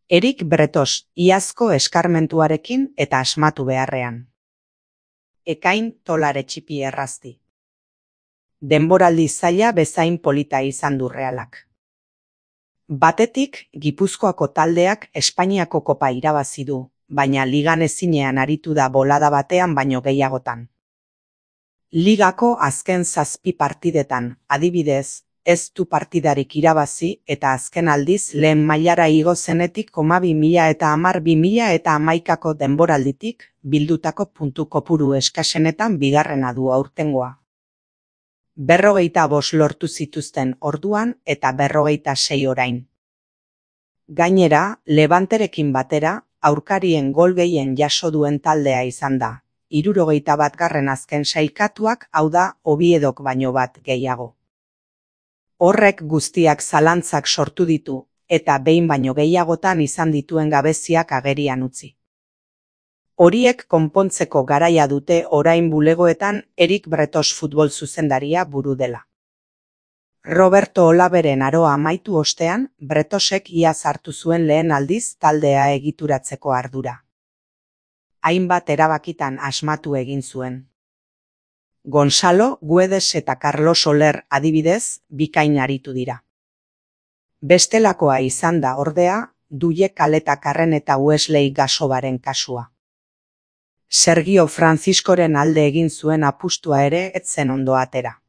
Erik Bretos, iazko eskarmentuarekin eta asmatu beharrean. Ekain tolare txipi errazti. Denboraldi zaila bezain polita izan du Realak. Batetik, Gipuzkoako taldeak Espainiako kopa irabazi du, baina ligan ezinean aritu da bolada batean baino gehiagotan. Ligako azken 7 partidetan, adibidez, ez du partidarik irabazi eta azken aldiz lehen mailara igo zenetik 2010-2011ko denboralditik bildutako puntu kopuru eskasenetan bigarrena du aurtengoa. 45 lortu zituzten orduan eta 46 orain. Gainera, Levanterekin batera, aurkarien gol gehien jaso duen taldea izan da. 71 azken sailkatuak, hau da, Oviedok baino bat gehiago. Horrek guztiak zalantzak sortu ditu, eta behin baino gehiagotan izan dituen gabeziak agerian utzi. Horiek konpontzeko garaia dute orain bulegoetan Erik Bretos futbol zuzendaria buru dela. Roberto Olaberen aroa amaitu ostean, Bretosek iaz hartu zuen lehen aldiz taldea egituratzeko ardura. Hainbat erabakitan asmatu egin zuen. Gonzalo, Guedes eta Carlos Soler adibidez, bikain aritu dira. Bestelakoa izan da ordea, Duie Kaletakarren eta Wesley Gasobaren kasua. Sergio Franciscoren alde egin zuen apustua ere ez zen ondo atera.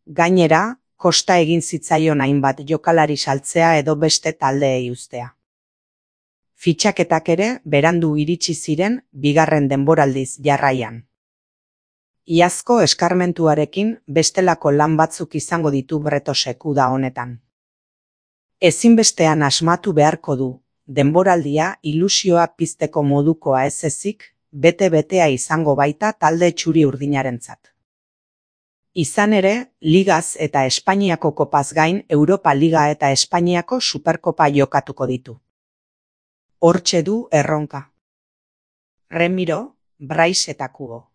Gainera, kosta egin zitzaion hainbat jokalari saltzea edo beste taldeei uztea. Fitxaketak ere berandu iritsi ziren bigarren denboraldiz jarraian. Iazko eskarmentuarekin bestelako lan batzuk izango ditu Bretosek uda honetan. Ezinbestean asmatu beharko du, denboraldia ilusioa pizteko modukoa ez ezik, bete-betea izango baita talde txuri urdinarentzat. Izan ere, Ligaz eta Espainiako kopaz gain Europa Liga eta Espainiako Superkopa jokatuko ditu. Hortxe du erronka. Remiro, Brais eta Kubo.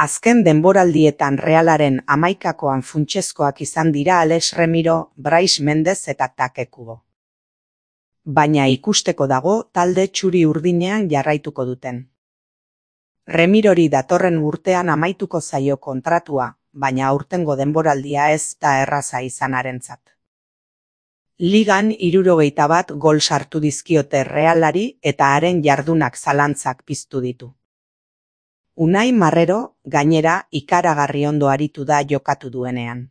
Azken denboraldietan Realaren 11koan funtsezkoak izan dira Alex Remiro, Brais Mendez eta Take Kubo. Baina ikusteko dago talde txuri urdinean jarraituko duten. Remirori datorren urtean amaituko zaio kontratua, baina aurtengo denboraldia ez da erraza izanarentzat. Ligan 71 gol sartu dizkiote Realari eta haren jardunak zalantzak piztu ditu. Unai Marrero, gainera, ikaragarri ondo aritu da jokatu duenean.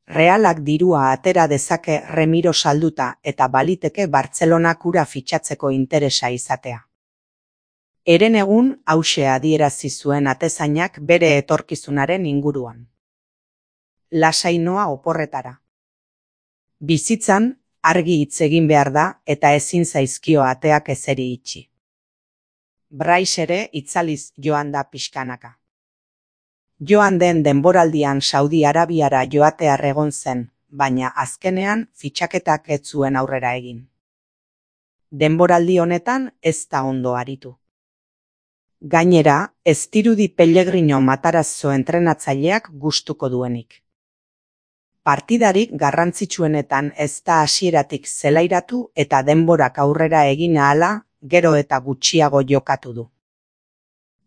Realak dirua atera dezake Remiro salduta eta baliteke Bartzelonak ura fitxatzeko interesa izatea. Herenegun hauxe adierazi zuen atezainak bere etorkizunaren inguruan. Lasai noa oporretara. Bizitzan, argi hitz egin behar da eta ezin zaizkio ateak ezeri itxi. Brais ere itzaliz joan da pixkanaka. Joan den denboraldian Saudi Arabiara joatear egon zen, baina azkenean fitxaketak ez zuen aurrera egin. Denboraldi honetan ez da ondo aritu. Gainera, ez dirudi Pellegrino Matarazzo entrenatzaileak gustuko duenik. Partidarik garrantzitsuenetan ez da hasieratik zelairatu eta denborak aurrera egin ahala, gero eta gutxiago jokatu du.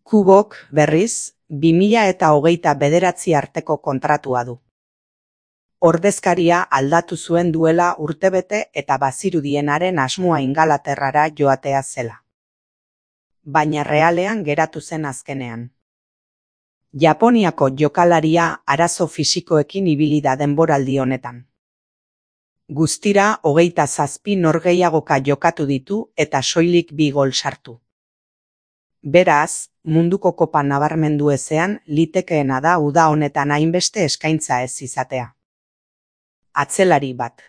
Kubok, berriz, 2029 arteko kontratua du. Ordezkaria aldatu zuen duela urtebete eta bazirudienaren asmoa Ingalaterrara joatea zela. Baina Realean geratu zen azkenean. Japoniako jokalaria arazo fisikoekin ibili da denboraldi honetan. Guztira 27 norgehiagoka jokatu ditu eta soilik 2 gol sartu. Beraz, munduko kopa nabarmendu ezean litekeena da uda honetan hainbeste eskaintza ez izatea. Atzelari bat.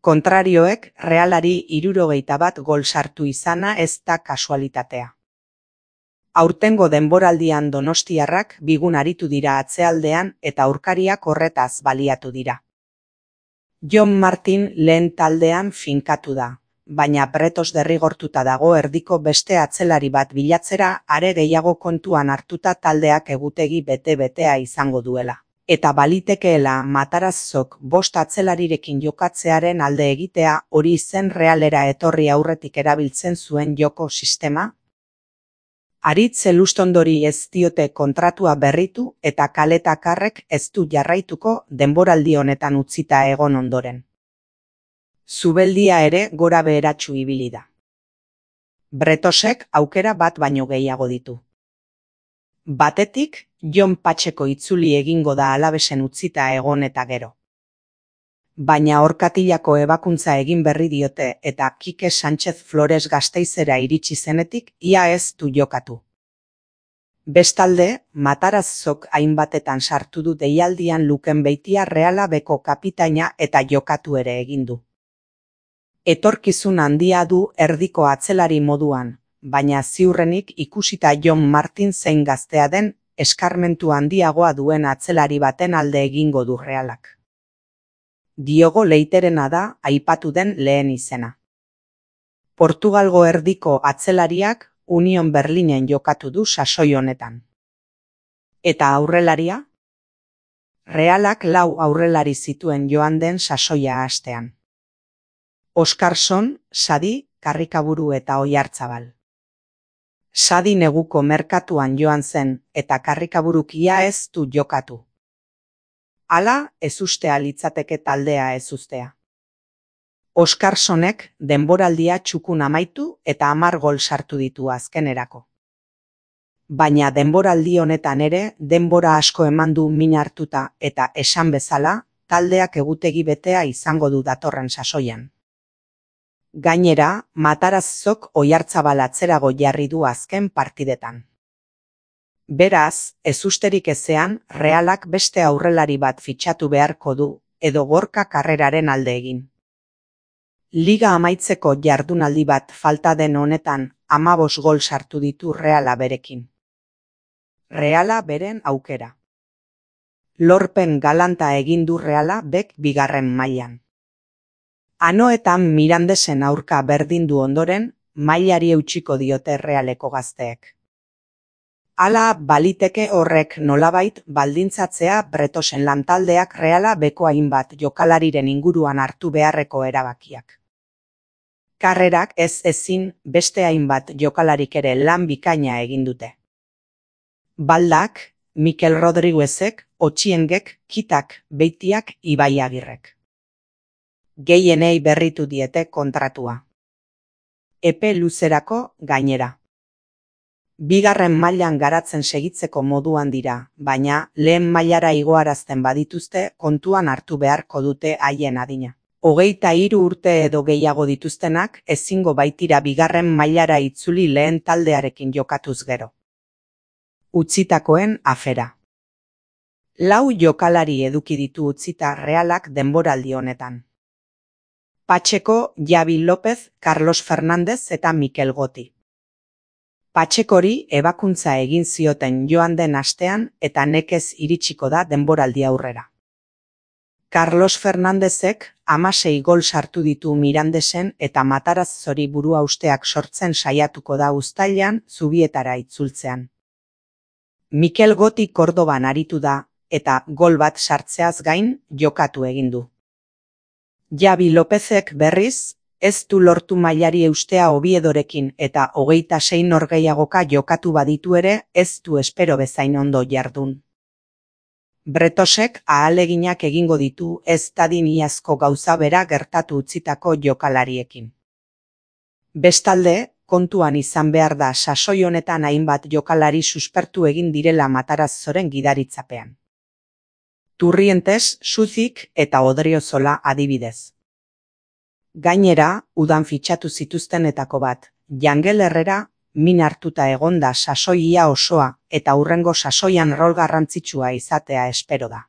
Kontrarioek Realari 71 gol sartu izana ez da kasualitatea. Aurtengo denboraldian donostiarrak bigun aritu dira atzealdean eta aurkariak horretaz baliatu dira. Jon Martin lehen taldean finkatu da, baina Bretos derrigortuta dago erdiko beste atzelari bat bilatzera are gehiago kontuan hartuta taldeak egutegi bete-betea izango duela. eta balitekeela Matarazzok 5 atzelarirekin jokatzearen alde egitea hori zen Realera etorri aurretik erabiltzen zuen joko sistema. Aritz Elustondori ez diote kontratua berritu eta Kaletakarrek ez du jarraituko denboraldi honetan utzita egon ondoren. Zubeldia ere gora beheratsu ibili da. Bretosek aukera bat baino gehiago ditu. Batetik, Jon Patxeko itzuli egingo da Alavesen utzita egon eta gero. Baina Orkatilako ebakuntza egin berri diote eta Kike Sánchez Flores Gasteizera iritsi zenetik ia ez du jokatu. Bestalde, Matarazzok hainbatetan sartu du deialdian Luken Beitia Reala beko kapitaina eta jokatu ere egin du. Etorkizun handia du erdiko atzelari moduan, baina ziurrenik ikusita Jon Martin zein gaztea den, eskarmentu handiagoa duen atzelari baten alde egingo du Realak. Diogo Leiterena da aipatu den lehen izena. Portugalgo erdiko atzelariak Union Berlinen jokatu du sasoi honetan. Eta aurrelaria? Realak 4 aurrelari zituen joan den sasoia hastean. Oskarson, Sadi, Karrikaburu eta Oiartzabal. Sadi neguko merkatuan joan zen eta Karrikaburuk ia ez du jokatu. Hala, ezustea litzateke taldea ezustea. Oskarsonek denboraldia txukun amaitu eta 10 gol sartu ditu azkenerako. Baina denboraldi honetan ere denbora asko eman du min hartuta eta esan bezala taldeak egutegi betea izango du datorren sasoian. Gainera, Matarazzok Oiartzabal atzerago jarri du azken partidetan. Beraz, ezusterik ezean, Realak beste aurrelari bat fitxatu beharko du, edo Gorka Karreraren alde egin. Liga amaitzeko jardunaldi bat falta den honetan 15 gol sartu ditu Reala berekin. Reala beren aukera. Lorpen galanta egin du Reala bek 2. mailan. Anoetan Mirandesen aurka berdindu ondoren, mailari eutxiko diote Realeko gazteek. Hala baliteke horrek nolabait baldintzatzea Bretosen lantaldeak Reala beko hainbat jokalariren inguruan hartu beharreko erabakiak. Karrerak ez ezin beste hainbat jokalarik ere lan bikaina egin dute. Baldak, Mikel Rodriguezek, Otxiengek, Kitak, Beitiak, Ibai Agirrek. Gehienei berritu diete kontratua. Epe luzerako gainera. 2. mailan garatzen segitzeko moduan dira, baina lehen mailara igoarazten badituzte kontuan hartu beharko dute haien adina. 23 urte edo gehiago dituztenak ezingo baitira 2. mailara itzuli lehen taldearekin jokatuz gero. Utzitakoen afera. 4 jokalari eduki ditu utzita Realak denboraldi honetan. Patxeko, Javi López, Carlos Fernández eta Mikel Goti. Patxekori ebakuntza egin zioten joan den astean eta nekez iritsiko da denboraldi aurrera. Carlos Fernándezek 16 gol sartu ditu Mirandesen eta Matarazzori burua usteak sortzen saiatuko da uztailean Zubietara itzultzean. Mikel Goti Kordoban aritu da eta gol bat sartzeaz gain jokatu egin du. Javi Lópezek berriz, ez du lortu mailari eustea Oviedorekin eta 26 norgehiagoka jokatu baditu ere ez du espero bezain ondo jardun. Bretosek ahaleginak egingo ditu ez dadin iazko gauza bera gertatu utzitako jokalariekin. Bestalde, kontuan izan behar da sasoi honetan hainbat jokalari suspertu egin direla Matarazzoren gidaritzapean. Turrientes, Suzik eta Odriozola adibidez. Gainera, udan fitxatu zituztenetako bat, Jangel Herrera, min hartuta egonda sasoia osoa eta hurrengo sasoian rol garrantzitsua izatea espero da.